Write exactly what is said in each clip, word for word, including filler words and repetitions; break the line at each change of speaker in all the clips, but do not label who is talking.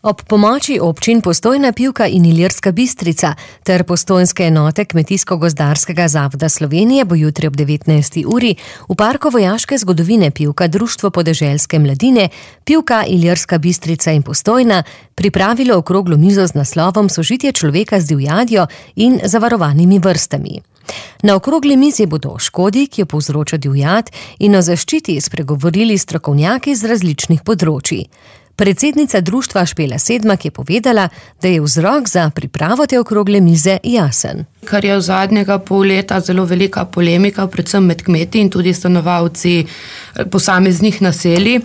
Ob pomoči občin Postojna, Pivka in Ilirska Bistrica ter postojnske enote Kmetijsko-gozdarskega zavoda Slovenije bo jutri ob devetnajsti uri v Parku vojaške zgodovine Pivka Društvo podeželske mladine, Pivka, Ilirska Bistrica in Postojna pripravilo okroglo mizo z naslovom Sožitje človeka z divjadjo in zavarovanimi vrstami. Na okrogli mizi bodo o škodi, ki jo povzroča divjad, in o zaščiti spregovorili strokovnjaki z različnih področij. Predsednica društva Špela Sedmak je povedala, da je vzrok za pripravo te okrogle mize jasen.
Kar je v zadnjega pol leta zelo velika polemika, predvsem med kmeti in tudi stanovalci posameznih naselij,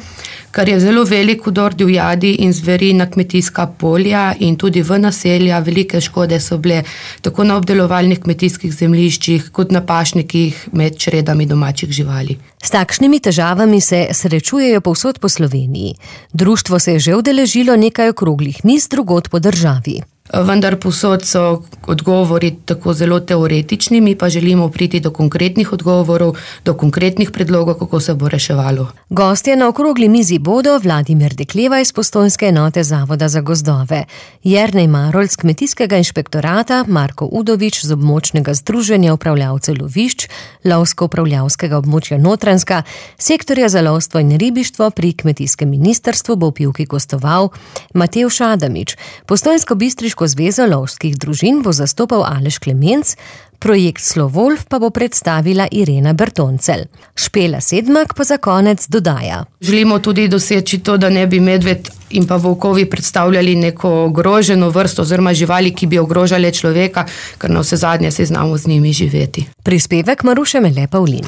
kar je zelo velik vdor divjadi in zveri na kmetijska polja in tudi v naselja. Velike škode so bile tako na obdelovalnih kmetijskih zemljiščih kot na pašnikih med čredami domačih živali.
S takšnimi težavami se srečujejo povsod po Sloveniji. Društvo se je že udeležilo nekaj okroglih miz drugod po državi.
Vendar povsod so odgovori tako zelo teoretični, mi pa želimo priti do konkretnih odgovorov, do konkretnih predlogov, kako se bo reševalo.
Gostje na okrogli mizi bodo Vladimir Dekleva iz postojnske enote Zavoda za gozdove, Jernej Marolj z Kmetijskega inšpektorata, Marko Udovič z območnega združenja upravljavcev lovišč, lovsko-upravljavskega območja Notranjska, sektorja za lovstvo in ribištvo pri Kmetijskem ministrstvu bo v Pivki gostoval Matevž Adamič, Postojnsko-bistriško zvezo lovskih družin bo zastopal Aleš Klemenc, projekt Slovolf pa bo predstavila Irena Bertoncel. Špela Sedmak pa za konec dodaja.
Želimo tudi doseči to, da ne bi medved in pa volkovi predstavljali neko ogroženo vrsto oziroma živali, ki bi ogrožale človeka, ker na vse zadnje se znamo z njimi živeti.
Prispevek Maruše Mele Pavlin.